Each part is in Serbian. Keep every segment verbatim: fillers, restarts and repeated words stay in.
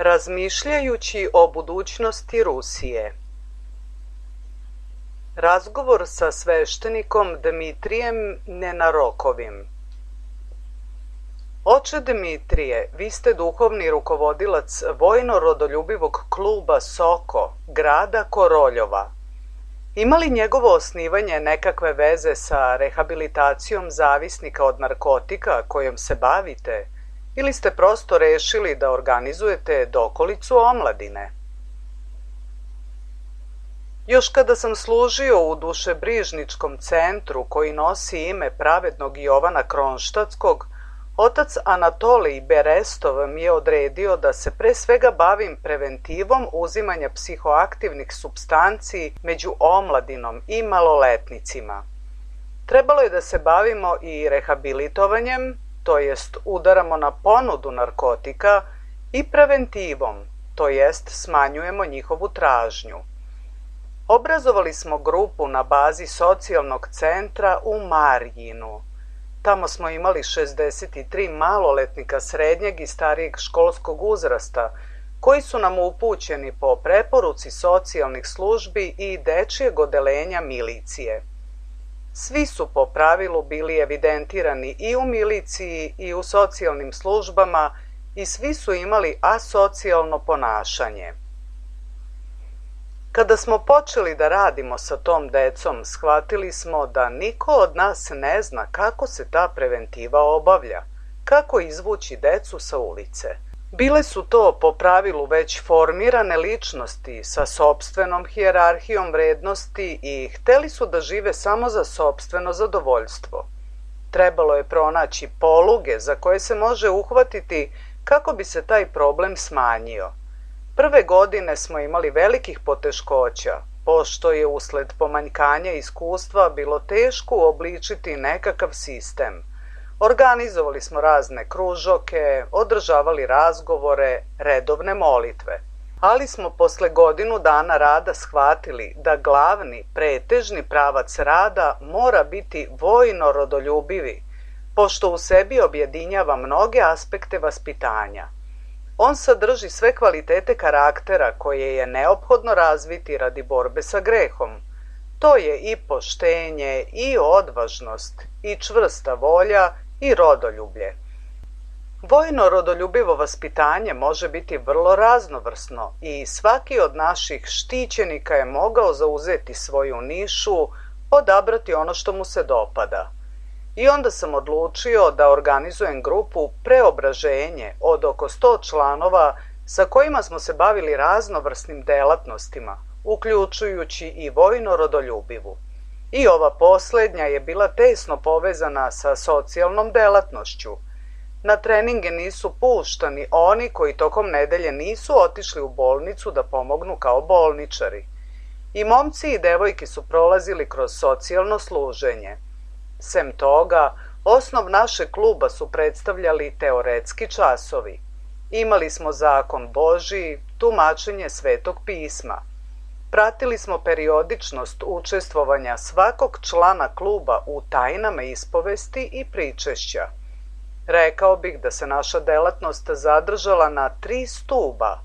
Razmišljajući o budućnosti Rusije. Razgovor sa sveštenikom Dmitrijem Nenarokovim. Oče Dmitrije, vi ste duhovni rukovodilac vojno-rodoljubivog kluba Soko, grada Koroljova. Ima li njegovo osnivanje nekakve veze sa rehabilitacijom zavisnika od narkotika kojom se bavite, ili ste prosto rešili da organizujete dokolicu omladine? Još kada sam služio u dušebrižničkom centru koji nosi ime pravednog Jovana Kronštatskog, otac Anatolij Berestov mi je odredio da se pre svega bavim preventivom uzimanja psihoaktivnih supstanci među omladinom i maloletnicima. Trebalo je da se bavimo i rehabilitovanjem, to jest udaramo na ponudu narkotika, i preventivom, to jest smanjujemo njihovu tražnju. Obrazovali smo grupu na bazi socijalnog centra u Marjinu. Tamo smo imali šezdeset tri maloletnika srednjeg i starijeg školskog uzrasta, koji su nam upućeni po preporuci socijalnih službi i dečijeg odeljenja milicije. Svi su po pravilu bili evidentirani i u miliciji i u socijalnim službama i svi su imali asocijalno ponašanje. Kada smo počeli da radimo sa tom decom, shvatili smo da niko od nas ne zna kako se ta preventiva obavlja, kako izvući decu sa ulice. Bile su to po pravilu već formirane ličnosti sa sopstvenom hijerarhijom vrednosti i hteli su da žive samo za sopstveno zadovoljstvo. Trebalo je pronaći poluge za koje se može uhvatiti kako bi se taj problem smanjio. Prve godine smo imali velikih poteškoća, pošto je usled pomanjkanja iskustva bilo teško uobličiti nekakav sistem. Organizovali smo razne kružoke, održavali razgovore, redovne molitve. Ali smo posle godinu dana rada shvatili da glavni, pretežni pravac rada mora biti vojno-rodoljubivi, pošto u sebi objedinjava mnoge aspekte vaspitanja. On sadrži sve kvalitete karaktera koje je neophodno razviti radi borbe sa grehom. To je i poštenje, i odvažnost, i čvrsta volja, i rodoljublje. Vojno-rodoljubivo vaspitanje može biti vrlo raznovrsno i svaki od naših štićenika je mogao zauzeti svoju nišu, odabrati ono što mu se dopada. I onda sam odlučio da organizujem grupu Preobraženje od oko sto članova sa kojima smo se bavili raznovrsnim delatnostima, uključujući i vojno-rodoljubivu. I ova poslednja je bila tesno povezana sa socijalnom delatnošću. Na treninge nisu puštani oni koji tokom nedelje nisu otišli u bolnicu da pomognu kao bolničari. I momci i devojke su prolazili kroz socijalno služenje. Sem toga, osnov našeg kluba su predstavljali teoretski časovi. Imali smo zakon Božiji, tumačenje Svetog pisma. Pratili smo periodičnost učestvovanja svakog člana kluba u tajnama ispovesti i pričešća. Rekao bih da se naša delatnost zadržala na tri stuba: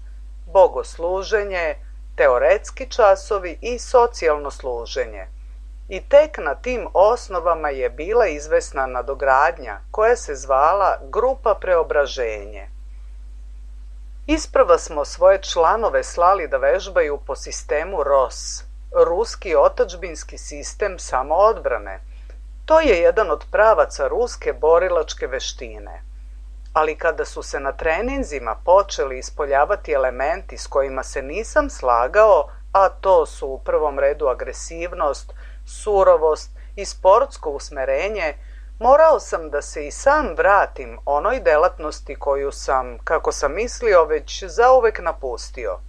bogosluženje, teoretski časovi i socijalno služenje. I tek na tim osnovama je bila izvesna nadogradnja koja se zvala Grupa Preobraženje. Isprva smo svoje članove slali da vežbaju po sistemu R O S, ruski otadžbinski sistem samoodbrane. To je jedan od pravaca ruske borilačke veštine. Ali kada su se na treninzima počeli ispoljavati elementi s kojima se nisam slagao, a to su u prvom redu agresivnost, surovost i sportsko usmerenje, morao sam da se i sam vratim onoj delatnosti koju sam, kako sam mislio, već zauvek napustio.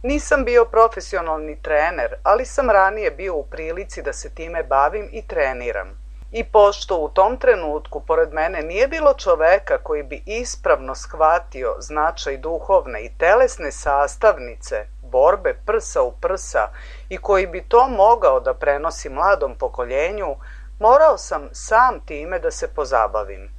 Nisam bio profesionalni trener, ali sam ranije bio u prilici da se time bavim i treniram. I pošto u tom trenutku pored mene nije bilo čoveka koji bi ispravno shvatio značaj duhovne i telesne sastavnice borbe prsa u prsa i koji bi to mogao da prenosi mladom pokoljenju, morao sam sam time da se pozabavim.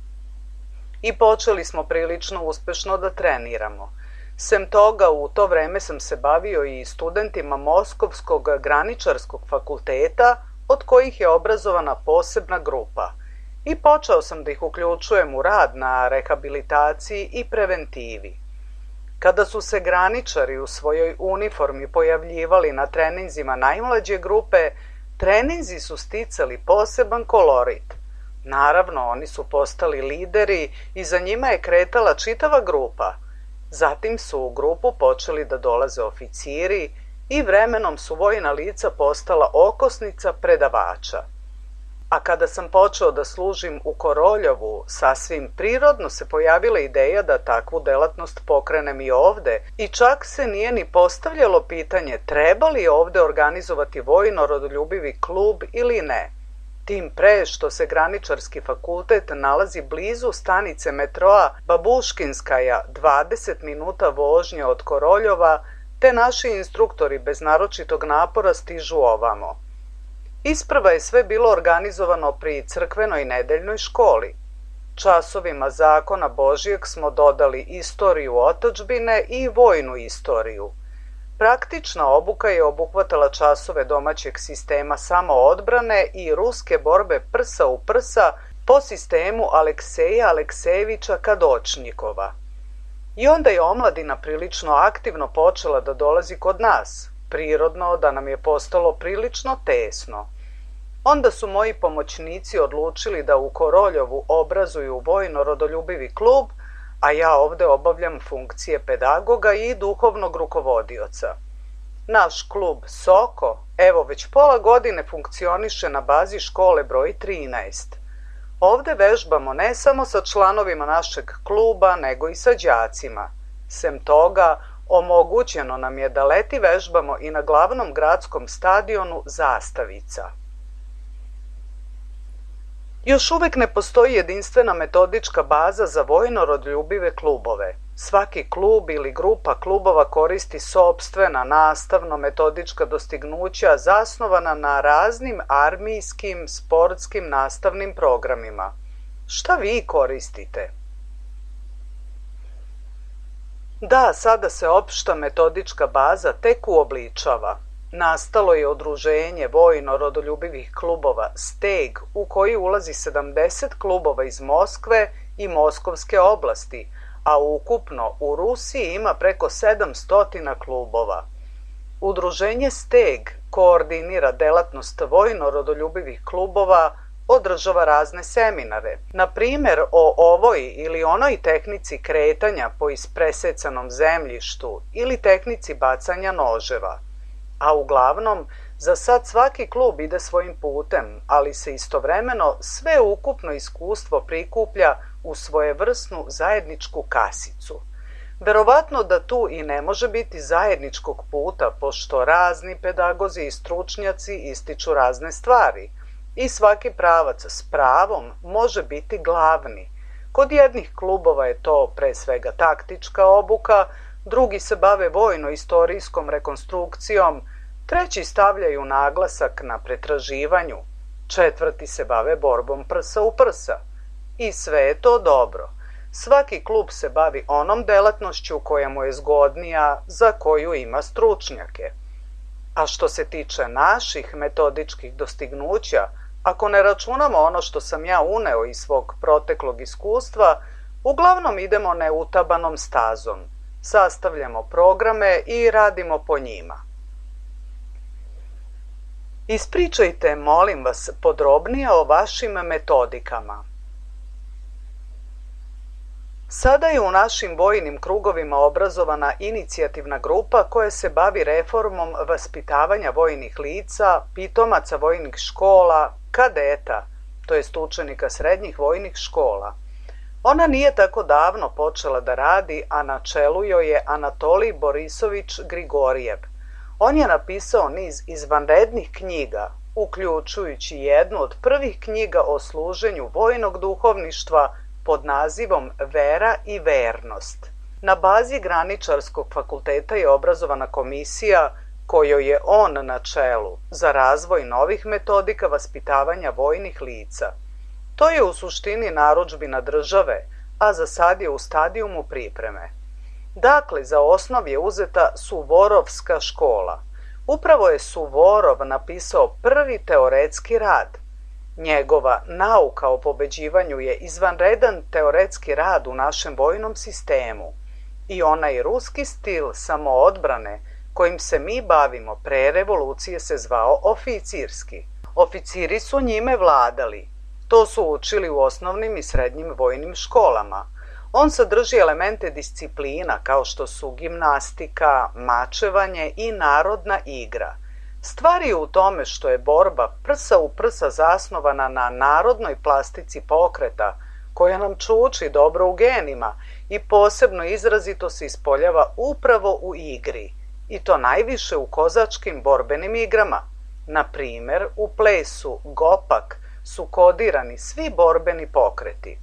I počeli smo prilično uspešno da treniramo. Sem toga, u to vreme sam se bavio i studentima Moskovskog graničarskog fakulteta, od kojih je obrazovana posebna grupa, i počeo sam da ih uključujem u rad na rehabilitaciji i preventivi. Kada su se graničari u svojoj uniformi pojavljivali na treninzima najmlađe grupe, treninzi su sticali poseban kolorit. Naravno, oni su postali lideri i za njima je kretala čitava grupa. Zatim su u grupu počeli da dolaze oficiri i vremenom su vojna lica postala okosnica predavača. A kada sam počeo da služim u Koroljovu, sasvim prirodno se pojavila ideja da takvu delatnost pokrenem i ovde i čak se nije ni postavljalo pitanje treba li ovde organizovati vojno-rodoljubivi klub ili ne. Tim pre što se graničarski fakultet nalazi blizu stanice metroa Babuškinskaja, dvadeset minuta vožnje od Koroljova, te naši instruktori bez naročitog napora stižu ovamo. Isprva je sve bilo organizovano pri crkvenoj nedeljnoj školi. Časovima zakona Božijeg smo dodali istoriju otadžbine i vojnu istoriju. Praktična obuka je obuhvatala časove domaćeg sistema samoodbrane i ruske borbe prsa u prsa po sistemu Alekseja Aleksejevića Kadočnikova. I onda je omladina prilično aktivno počela da dolazi kod nas, prirodno da nam je postalo prilično tesno. Onda su moji pomoćnici odlučili da u Koroljovu obrazuju vojno-rodoljubivi klub, a ja ovde obavljam funkcije pedagoga i duhovnog rukovodioca. Naš klub Soko, evo već pola godine funkcioniše na bazi škole broj trinaest. Ovde vežbamo ne samo sa članovima našeg kluba, nego i sa đacima. Sem toga, omogućeno nam je da leti vežbamo i na glavnom gradskom stadionu Zastavica. Još uvek ne postoji jedinstvena metodička baza za vojno-rodoljubive klubove. Svaki klub ili grupa klubova koristi sopstvena nastavno-metodička dostignuća zasnovana na raznim armijskim, sportskim nastavnim programima. Šta vi koristite? Da, sada se opšta metodička baza tek uobličava. Nastalo je udruženje vojno-rodoljubivih klubova Steg, u koji ulazi sedamdeset klubova iz Moskve i Moskovske oblasti, a ukupno u Rusiji ima preko sedamsto klubova. Udruženje Steg koordinira delatnost vojno-rodoljubivih klubova, održava razne seminare, na primer o ovoj ili onoj tehnici kretanja po ispresecanom zemljištu ili tehnici bacanja noževa. A uglavnom, za sad svaki klub ide svojim putem, ali se istovremeno sve ukupno iskustvo prikuplja u svojevrsnu zajedničku kasicu. Verovatno da tu i ne može biti zajedničkog puta, pošto razni pedagozi i stručnjaci ističu razne stvari i svaki pravac s pravom može biti glavni. Kod jednih klubova je to pre svega taktička obuka, drugi se bave vojno-istorijskom rekonstrukcijom, treći stavljaju naglasak na pretraživanju, četvrti se bave borbom prsa u prsa. I sve je to dobro. Svaki klub se bavi onom delatnošću koja mu je zgodnija, za koju ima stručnjake. A što se tiče naših metodičkih dostignuća, ako ne računamo ono što sam ja uneo iz svog proteklog iskustva, uglavnom idemo neutabanom stazom. Sastavljamo programe i radimo po njima. Ispričajte, molim vas, podrobnije o vašim metodikama. Sada je u našim vojnim krugovima obrazovana inicijativna grupa koja se bavi reformom vaspitavanja vojnih lica, pitomaca vojnih škola, kadeta, to jest učenika srednjih vojnih škola. Ona nije tako davno počela da radi, a na čelu joj je Anatolij Borisović Grigorijev. On je napisao niz izvanrednih knjiga, uključujući jednu od prvih knjiga o služenju vojnog duhovništva pod nazivom Vera i vernost. Na bazi Graničarskog fakulteta je obrazovana komisija kojoj je on na čelu za razvoj novih metodika vaspitavanja vojnih lica. To je u suštini narudžbina države, a za sad je u stadijumu pripreme. Dakle, za osnov je uzeta Suvorovska škola. Upravo je Suvorov napisao prvi teoretski rad. Njegova nauka o pobeđivanju je izvanredan teoretski rad u našem vojnom sistemu i onaj ruski stil samoodbrane kojim se mi bavimo pre revolucije se zvao oficirski. Oficiri su njime vladali. To su učili u osnovnim i srednjim vojnim školama. On sadrži elemente disciplina kao što su gimnastika, mačevanje i narodna igra. Stvar je u tome što je borba prsa u prsa zasnovana na narodnoj plastici pokreta, koja nam čuči dobro u genima i posebno izrazito se ispoljava upravo u igri, i to najviše u kozačkim borbenim igrama. Na primer, u plesu Gopak su kodirani svi borbeni pokreti.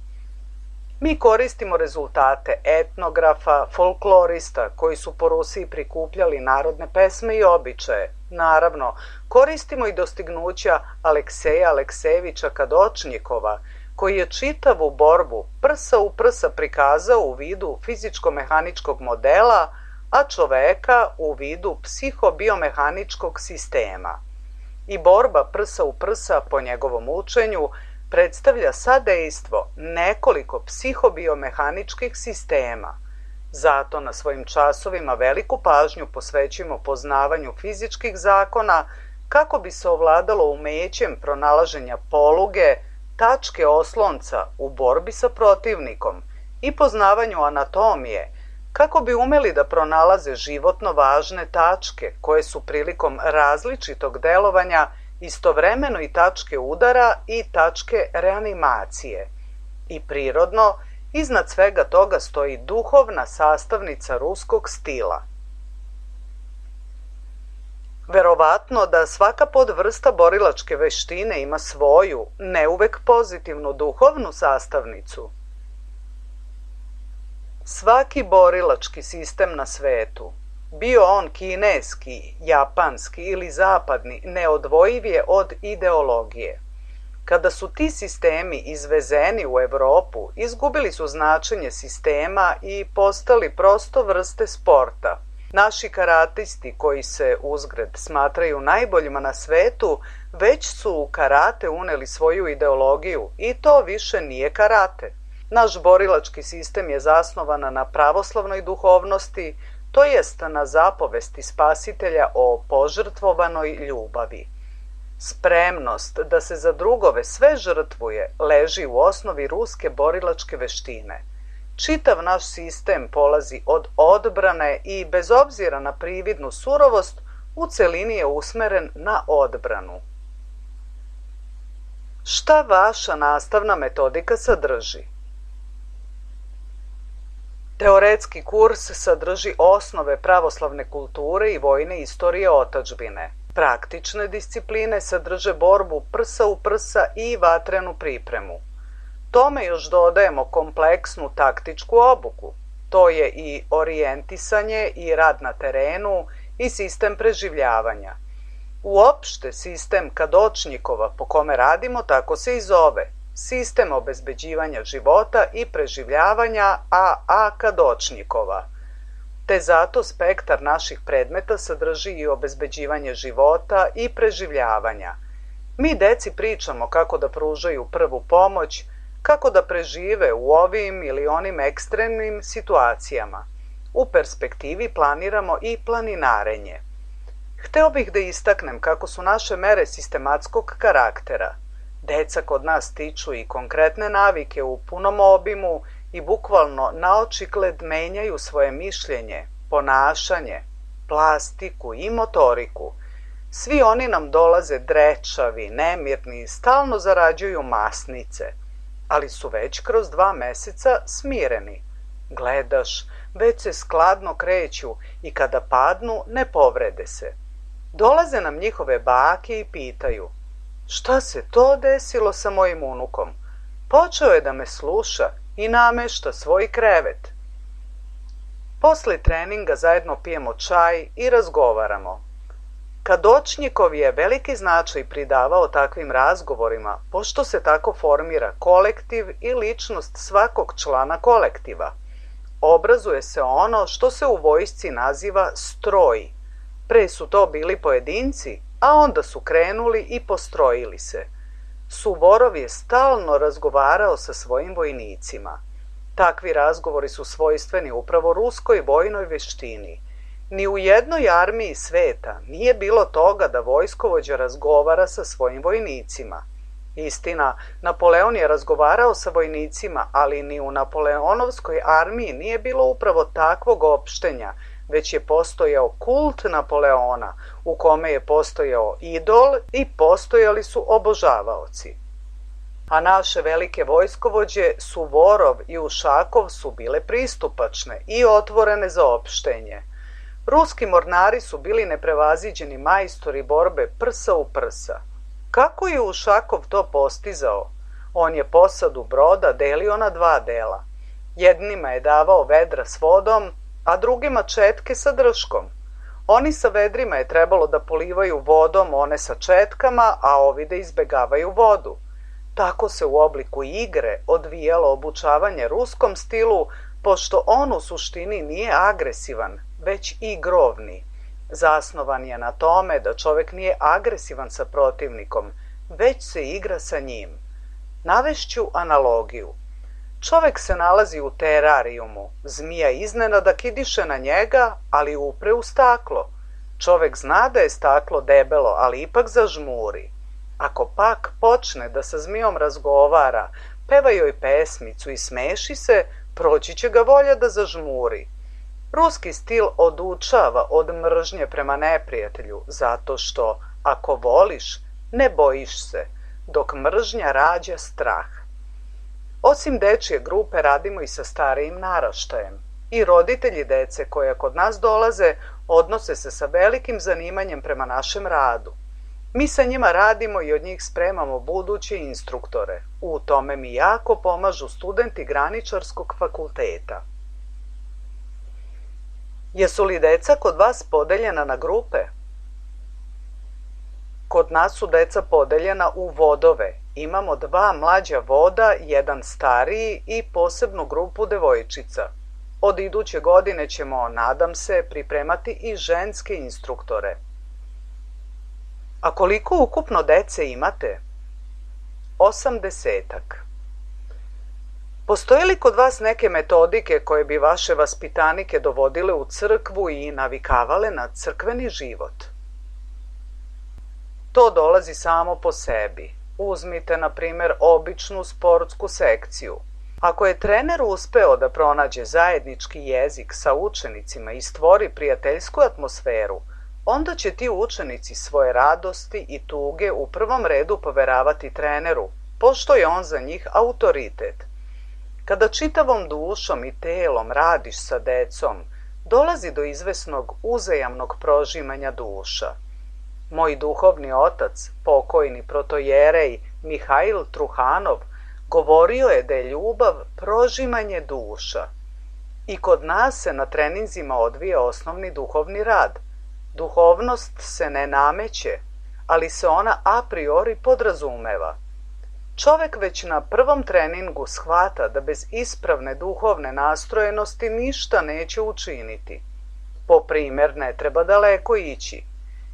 Mi koristimo rezultate etnografa, folklorista koji su po Rusiji prikupljali narodne pesme i običaje. Naravno, koristimo i dostignuća Alekseja Aleksejevića Kadočnikova, koji je čitavu borbu prsa u prsa prikazao u vidu fizičko-mehaničkog modela, a čoveka u vidu psihobiomehaničkog sistema. I borba prsa u prsa, po njegovom učenju, predstavlja sadejstvo nekoliko psihobiomehaničkih sistema. Zato na svojim časovima veliku pažnju posvećujemo poznavanju fizičkih zakona kako bi se ovladalo umećem pronalaženja poluge, tačke oslonca u borbi sa protivnikom i poznavanju anatomije, kako bi umeli da pronalaze životno važne tačke koje su prilikom različitog delovanja istovremeno i tačke udara i tačke reanimacije. I prirodno, iznad svega toga stoji duhovna sastavnica ruskog stila. Verovatno da svaka podvrsta borilačke veštine ima svoju, ne uvek pozitivnu duhovnu sastavnicu. Svaki borilački sistem na svetu, bio on kineski, japanski ili zapadni, neodvojiv je od ideologije. Kada su ti sistemi izvezeni u Evropu, izgubili su značenje sistema i postali prosto vrste sporta. Naši karatisti, koji se uzgred smatraju najboljima na svetu, već su u karate uneli svoju ideologiju i to više nije karate. Naš borilački sistem je zasnovan na pravoslavnoj duhovnosti, to jest na zapovesti Spasitelja o požrtvovanoj ljubavi. Spremnost da se za drugove sve žrtvuje leži u osnovi ruske borilačke veštine. Čitav naš sistem polazi od odbrane i bez obzira na prividnu surovost u celini je usmeren na odbranu. Šta vaša nastavna metodika sadrži? Teoretski kurs sadrži osnove pravoslavne kulture i vojne istorije otadžbine. Praktične discipline sadrže borbu prsa u prsa i vatrenu pripremu. Tome još dodajemo kompleksnu taktičku obuku. To je i orijentisanje i rad na terenu i sistem preživljavanja. Uopšte sistem Kadočnikova po kome radimo tako se i zove. Sistem obezbeđivanja života i preživljavanja A A Kadočnikova. Te zato spektar naših predmeta sadrži i obezbeđivanje života i preživljavanja. Mi deci pričamo kako da pružaju prvu pomoć, kako da prežive u ovim ili onim ekstremnim situacijama. U perspektivi planiramo i planinarenje. Hteo bih da istaknem kako su naše mere sistematskog karaktera. Deca kod nas stiču i konkretne navike u punom obimu i bukvalno naočigled menjaju svoje mišljenje, ponašanje, plastiku i motoriku. Svi oni nam dolaze drečavi, nemirni i stalno zarađuju masnice, ali su već kroz dva meseca smireni. Gledaš, već se skladno kreću i kada padnu ne povrede se. Dolaze nam njihove bake i pitaju: šta se to desilo sa mojim unukom? Počeo je da me sluša i namešta svoj krevet. Posle treninga zajedno pijemo čaj i razgovaramo. Kadočnikov je veliki značaj pridavao takvim razgovorima, pošto se tako formira kolektiv i ličnost svakog člana kolektiva. obrazuje se ono što se u vojsci naziva stroj. Pre su to bili pojedinci, a onda su krenuli i postrojili se. Suvorov je stalno razgovarao sa svojim vojnicima. Takvi razgovori su svojstveni upravo ruskoj vojnoj veštini. Ni u jednoj armiji sveta nije bilo toga da vojskovođa razgovara sa svojim vojnicima. Istina, Napoleon je razgovarao sa vojnicima, ali ni u Napoleonovskoj armiji nije bilo upravo takvog opštenja, već je postojao kult Napoleona, u kome je postojao idol i postojali su obožavaoci. A naše velike vojskovođe Suvorov i Ušakov su bile pristupačne i otvorene za opštenje. Ruski mornari su bili neprevaziđeni majstori borbe prsa u prsa. Kako je Ušakov to postizao? On je posadu broda delio na dva dela. Jednima je davao vedra s vodom, a drugima četke sa drškom. Oni sa vedrima je trebalo da polivaju vodom one sa četkama, a ovi da izbegavaju vodu. Tako se u obliku igre odvijalo obučavanje ruskom stilu, pošto on u suštini nije agresivan, već igrovni. Zasnovan je na tome da čovek nije agresivan sa protivnikom, već se igra sa njim. Navešću analogiju. Čovek se nalazi u terarijumu, zmija iznenada kidiše na njega, ali upre u staklo. Čovek zna da je staklo debelo, ali ipak zažmuri. Ako pak počne da sa zmijom razgovara, peva joj pesmicu i smeši se, proći će ga volja da zažmuri. Ruski stil odučava od mržnje prema neprijatelju, zato što, ako voliš, ne bojiš se, dok mržnja rađa strah. Osim dečije grupe radimo i sa starijim naraštajem. I roditelji dece koja kod nas dolaze odnose se sa velikim zanimanjem prema našem radu. Mi sa njima radimo i od njih spremamo buduće instruktore. U tome mi jako pomažu studenti graničarskog fakulteta. Jesu li deca kod vas podeljena na grupe? Kod nas su deca podeljena u vodove. Imamo dva mlađa voda, jedan stariji i posebnu grupu devojčica. Od iduće godine ćemo, nadam se, pripremati i ženske instruktore. A koliko ukupno dece imate? Osamdesetak. Postoje li kod vas neke metodike koje bi vaše vaspitanike dovodile u crkvu i navikavale na crkveni život? To dolazi samo po sebi. Uzmite, na primer, običnu sportsku sekciju. Ako je trener uspeo da pronađe zajednički jezik sa učenicima i stvori prijateljsku atmosferu, onda će ti učenici svoje radosti i tuge u prvom redu poveravati treneru, pošto je on za njih autoritet. Kada čitavom dušom i telom radiš sa decom, dolazi do izvesnog uzajamnog prožimanja duša. Moj duhovni otac, pokojni protojerej Mihajl Truhanov, govorio je da je ljubav prožimanje duša. I kod nas se na treninzima odvija osnovni duhovni rad. Duhovnost se ne nameće, ali se ona a priori podrazumeva. Čovek već na prvom treningu shvata da bez ispravne duhovne nastrojenosti ništa neće učiniti. Po primer, ne treba daleko ići.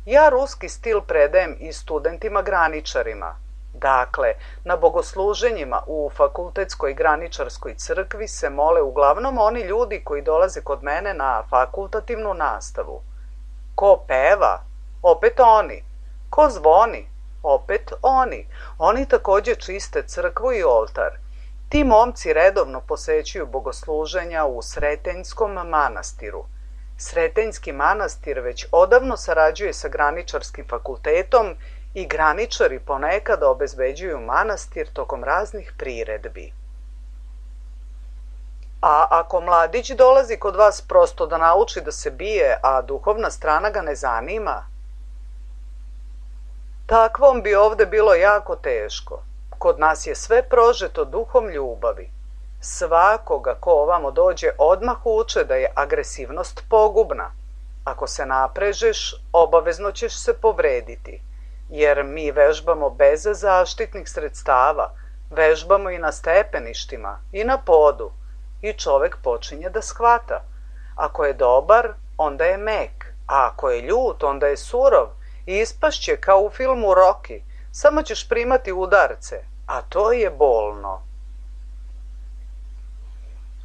Ja ruski stil predajem i studentima graničarima. Dakle, na bogosluženjima u fakultetskoj graničarskoj crkvi se mole uglavnom oni ljudi koji dolaze kod mene na fakultativnu nastavu. Ko peva? Opet oni. Ko zvoni? Opet oni. Oni takođe čiste crkvu i oltar. Ti momci redovno posećuju bogosluženja u Sretenjskom manastiru. Sretenjski manastir već odavno sarađuje sa graničarskim fakultetom i graničari ponekad obezbeđuju manastir tokom raznih priredbi. A ako mladić dolazi kod vas prosto da nauči da se bije, a duhovna strana ga ne zanima, takvom bi ovde bilo jako teško. Kod nas je sve prožeto duhom ljubavi. Svakoga ko ovamo dođe odmah uče da je agresivnost pogubna. Ako se naprežeš, obavezno ćeš se povrediti, jer mi vežbamo bez zaštitnih sredstava, vežbamo i na stepeništima i na podu. i čovek počinje da shvata. Ako je dobar, onda je mek, a ako je ljut, onda je surov i ispašće kao u filmu Rocky, samo ćeš primati udarce, a to je bolno.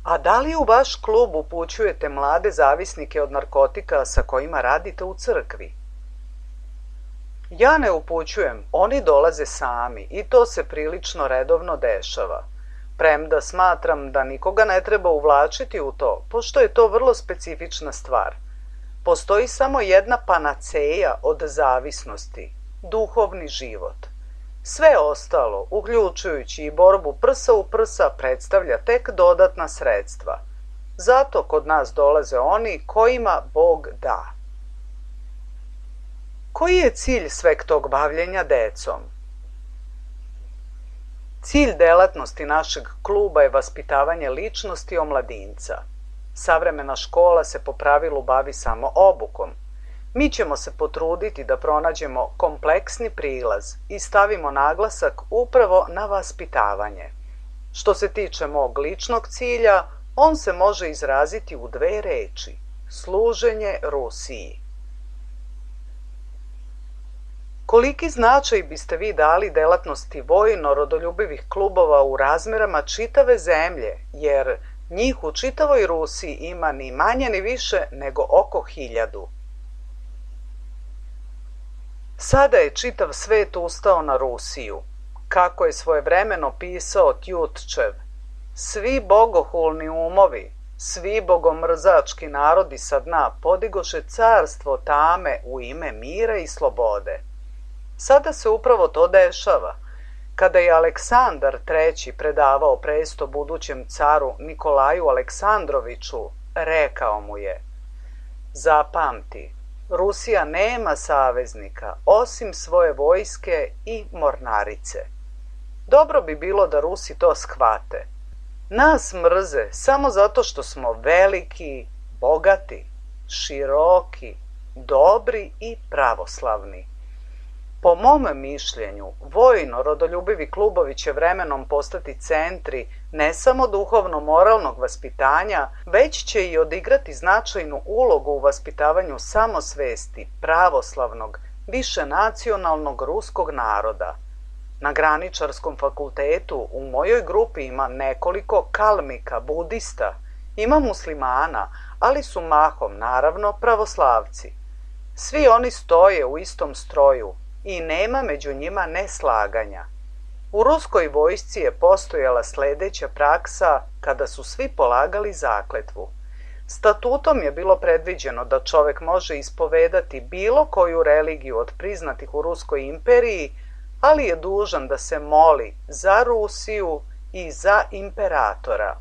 A da li u vaš klub upućujete mlade zavisnike od narkotika sa kojima radite u crkvi? Ja ne upućujem, oni dolaze sami i to se prilično redovno dešava. Premda smatram da nikoga ne treba uvlačiti u to, pošto je to vrlo specifična stvar. Postoji samo jedna panaceja od zavisnosti, duhovni život. Sve ostalo, uključujući i borbu prsa u prsa, predstavlja tek dodatna sredstva. Zato kod nas dolaze oni kojima Bog da. Koji je cilj sveg tog bavljenja decom? Cilj delatnosti našeg kluba je vaspitavanje ličnosti omladinca. Savremena škola se po pravilu bavi samo obukom. Mi ćemo se potruditi da pronađemo kompleksni prilaz i stavimo naglasak upravo na vaspitavanje. Što se tiče mog ličnog cilja, on se može izraziti u dve reči: služenje Rusiji. Koliki značaj biste vi dali delatnosti vojno-rodoljubivih klubova u razmerama čitave zemlje, jer njih u čitavoj Rusiji ima ni manje ni više nego oko hiljadu. Sada je čitav svet ustao na Rusiju. Kako je svojevremeno pisao Tjutčev, svi bogohulni umovi, svi bogomrzački narodi sa dna podigoše carstvo tame u ime mira i slobode. Sada se upravo to dešava. Kada je Aleksandar treći predavao presto budućem caru Nikolaju Aleksandroviću, rekao mu je: zapamti, Rusija nema saveznika osim svoje vojske i mornarice. Dobro bi bilo da Rusi to shvate. Nas mrze samo zato što smo veliki, bogati, široki, dobri i pravoslavni. Po mom mišljenju, vojno-rodoljubivi klubovi će vremenom postati centri ne samo duhovno-moralnog vaspitanja, već će i odigrati značajnu ulogu u vaspitavanju samosvesti pravoslavnog, višenacionalnog ruskog naroda. Na graničarskom fakultetu u mojoj grupi ima nekoliko kalmika, budista, ima muslimana, ali su mahom, naravno, pravoslavci. Svi oni stoje u istom stroju i nema među njima neslaganja. U ruskoj vojsci je postojala sledeća praksa kada su svi polagali zakletvu. Statutom je bilo predviđeno da čovek može ispovedati bilo koju religiju od priznatih u Ruskoj imperiji, ali je dužan da se moli za Rusiju i za imperatora.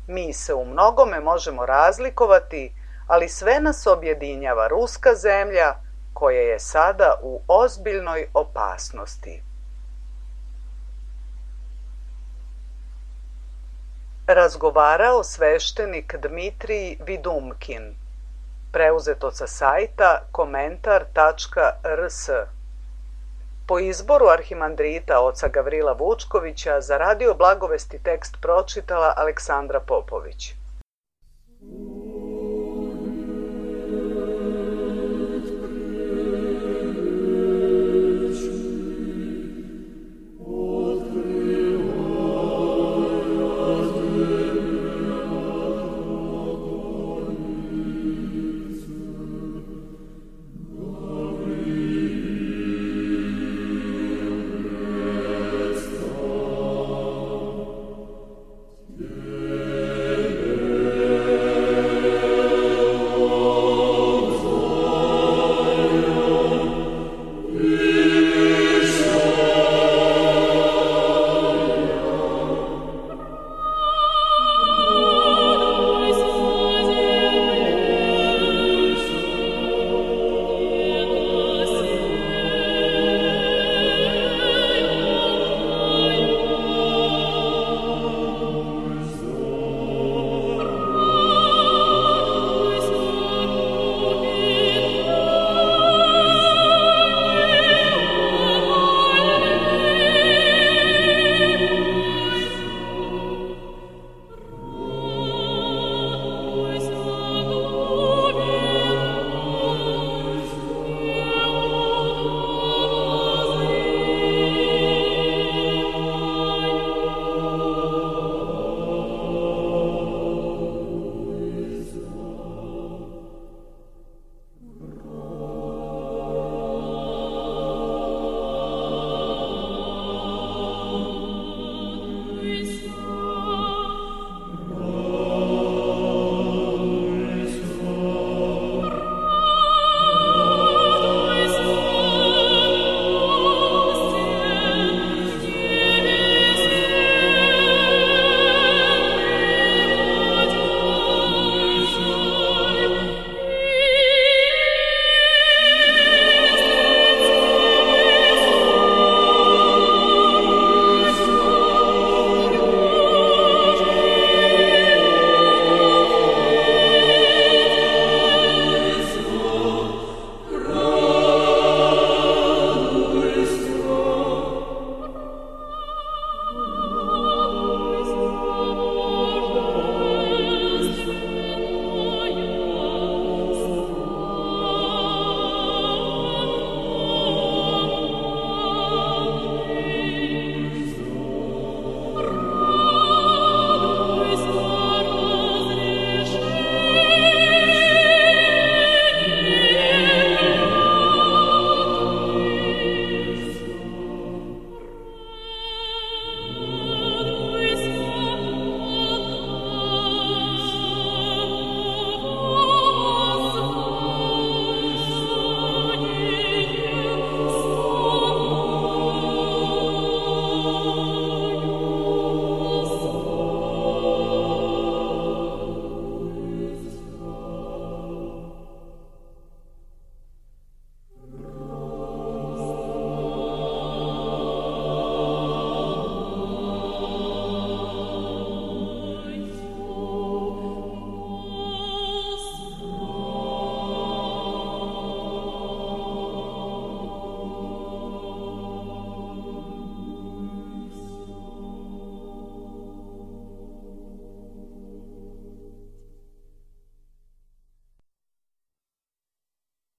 Mi se u mnogome možemo razlikovati, ali sve nas objedinjava ruska zemlja, koja je sada u ozbiljnoj opasnosti. Razgovarao sveštenik Dmitrij Vidumkin. Preuzeto sa sajta komentar tačka r s. Po izboru arhimandrita oca Gavrila Vučkovića za Radio Blagovesti tekst pročitala Aleksandra Popović.